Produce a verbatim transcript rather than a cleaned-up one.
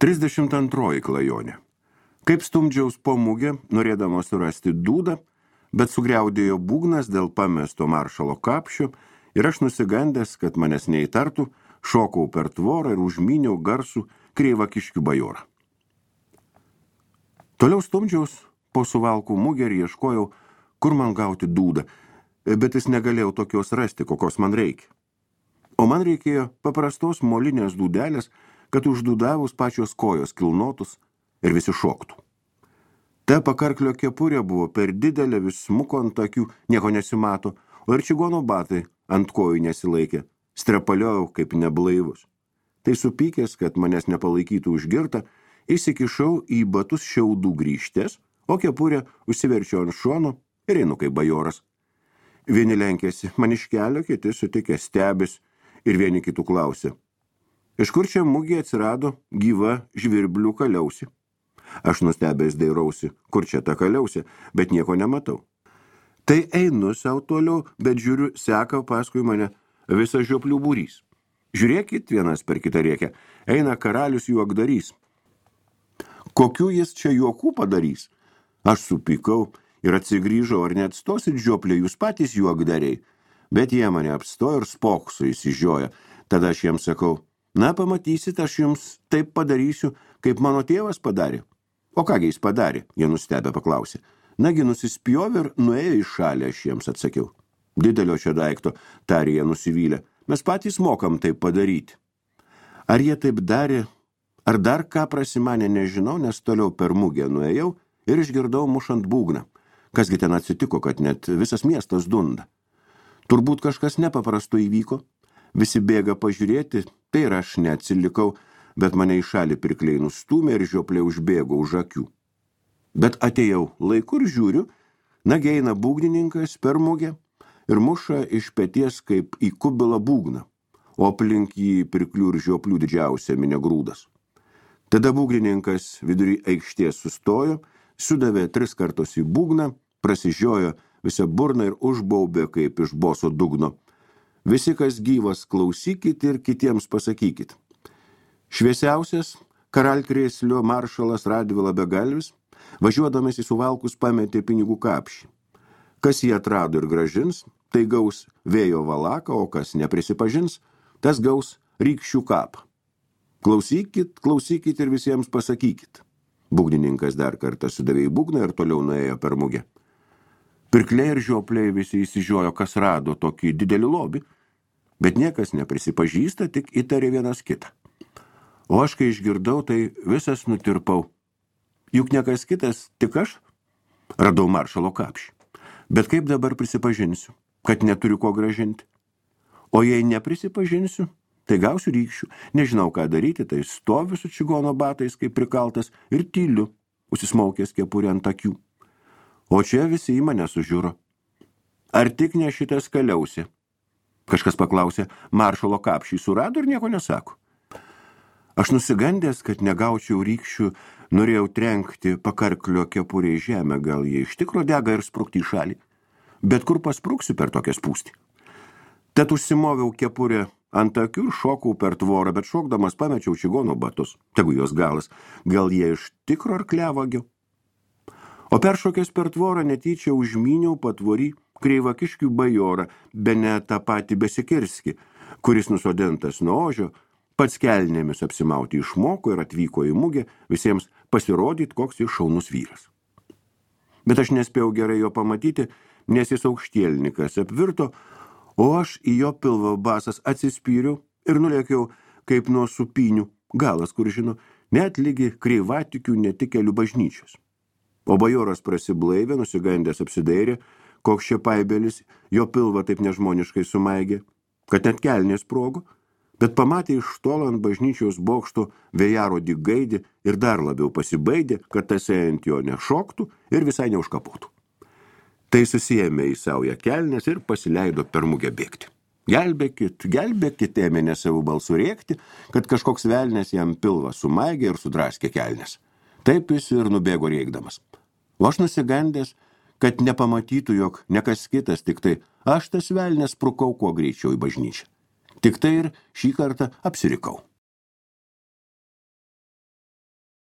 trisdešimt antroji klajonė. Kaip stumdžiaus po mugę, norėdamas surasti dūdą, bet sugriaudėjo būgnas dėl pamesto maršalo kapšio ir aš nusigandęs, kad manęs neįtartų, šokau per tvorą ir užmyniau garsų kreivakiškių bajorą. Toliau stumdžiaus po suvalkų mugę ir ieškojau, kur man gauti dūdą, bet jis negalėjau tokios rasti, kokios man reikia. O man reikėjo paprastos molinės dūdelės, kad uždūdavus pačios kojos kilnotus ir visi šoktų. Ta pakarklio kepurė buvo per didelė, vis smuko ant akių, nieko nesimato, o ir čigono batai ant kojų nesilaikė, strepaliojau kaip neblaivus. Tai supykęs, kad manęs nepalaikytų užgirta, įsikišau į batus šiaudų grįžtės, o kepurę užsiverčiau ant šono ir einu kaip bajoras. Vieni lenkėsi man iš kelio, kiti sutikę stebis ir vieni kitų klausė. Iš kur čia mugė atsirado gyva žvirblių kaliausi? Aš nustebęs dairausi, kur čia ta kaliausi, bet nieko nematau. Tai einu sau toliau, bet žiūriu, seka paskui mane visas žioplių būrys. Žiūrėkit, vienas per kitą rėkia, eina karalius juokdarys. Kokių jis čia juokų padarys? Aš supykau ir atsigrįžau, ar neatstosit žioplė jūs patys juokdariai. Bet jie mane apstojo ir spokso įsižioja. Tada aš jiems sakau, na pamatysit, aš jums taip padarysiu, kaip mano tėvas padarė. O kągi jis padarė, jie nustebę paklausė. Nagi nusispjovė ir nuėjo į šalį, aš jiems atsakiau. Didelio čia daikto, tarė jie nusivylę, mes patys mokam taip padaryti. Ar jie taip darė, ar dar ką prasimanė, nežinau, nes toliau per mugę nuėjau ir išgirdau mušant būgną. Kasgi ten atsitiko, kad net visas miestas dunda. Turbūt kažkas nepaprasto įvyko. Visi bėga pažiūrėti, tai ir aš neatsilikau, bet mane į šalį pirkliai nustūmė ir žioplė užbėgo už akių. Bet atėjau laiku ir žiūriu, nagi eina būgnininkas per mugę ir muša iš peties kaip į kubilą būgną, o aplink jį pirklių ir žioplių didžiausia minė grūdas. Tada būgnininkas vidury aikštės sustojo, sudavė tris kartus į būgną, prasižiojo visą burną ir užbaubė kaip iš boso dugno. Visi, kas gyvas, klausykit ir kitiems pasakykit. Šviesiausias karalkrėslio maršalas Radvila Begalvis, važiuodamas į Suvalkus pametė pinigų kapšį. Kas jį atrado ir gražins, tai gaus vėjo valaką, o kas neprisipažins, tas gaus rykščių kapą. Klausykit, klausykit ir visiems pasakykit. Būgnininkas dar kartą sudavė į būgną ir toliau nuėjo per mugę. Pirkliai ir žiopliai visi įsižiojo, kas rado tokį didelį lobį, bet niekas neprisipažįsta, tik įtarė vienas kitą. O aš, kai išgirdau, tai visas nutirpau. Juk niekas kitas, tik aš radau maršalo kapšį. Bet kaip dabar prisipažinsiu, kad neturiu ko gražinti? O jei neprisipažinsiu, tai gausiu rykščių. Nežinau, ką daryti, tai stoviu su čigono batais, kaip prikaltas, ir tyliu, užsismaukęs kepurę ant akių. O čia visi į mane sužiūro. Ar tik ne šitas kaliausi? Kažkas paklausė, maršalo kapšį surado ir nieko nesako. Aš nusigandęs, kad negaučiau rykščių, norėjau trenkti pakarklio kepurę į žemę, gal jie iš tikro dega ir sprukti į šalį. Bet kur paspruksiu per tokią spūstį? Tad užsimoviau kepurę ant akių ir šokau per tvorą, bet šokdamas pamečiau čigono batus. Tegu jos galas, gal jie iš tikro arkliavagio? O peršokęs per tvorą netyčia užmyniau patvorį kreivakiškių bajorą, bene tą patį Besikirskį, kuris nusodintas nuo ožio, pats kelnėmis apsimauti išmoko ir atvyko į mugę visiems pasirodyti, koks jis šaunus vyras. Bet aš nespėjau gerai jo pamatyti, nes jis aukštielnikas apvirto, o aš į jo pilvo basas atsispyriau ir nulėkiau kaip nuo supinių, galas, kur žino, net lygi kreivatikių netikelių bažnyčios. O bajoras prasiblaivė, nusigandęs apsidairė, koks čia paibelis jo pilvą taip nežmoniškai sumaigė, kad net kelnės sprogo, bet pamatė iš tolo ant bažnyčios bokšto vėjarodį gaidį ir dar labiau pasibaidė, kad tasai ant jo nešoktų ir visai neužkapotų. Tai susiėmė į saują kelnes ir pasileido per mugę bėgti. Gelbėkit, gelbėkit, ėmė ne savų balsų rėkti, kad kažkoks velnės jam pilvą sumaigė ir sudraskė kelnes. Taip jis ir nubėgo rėkdamas. O aš nusigandęs, kad nepamatytų, jog ne kas kitas, tik tai aš tas velnės sprukau kuo greičiau į bažnyčią. Tik tai ir šį kartą apsirikau.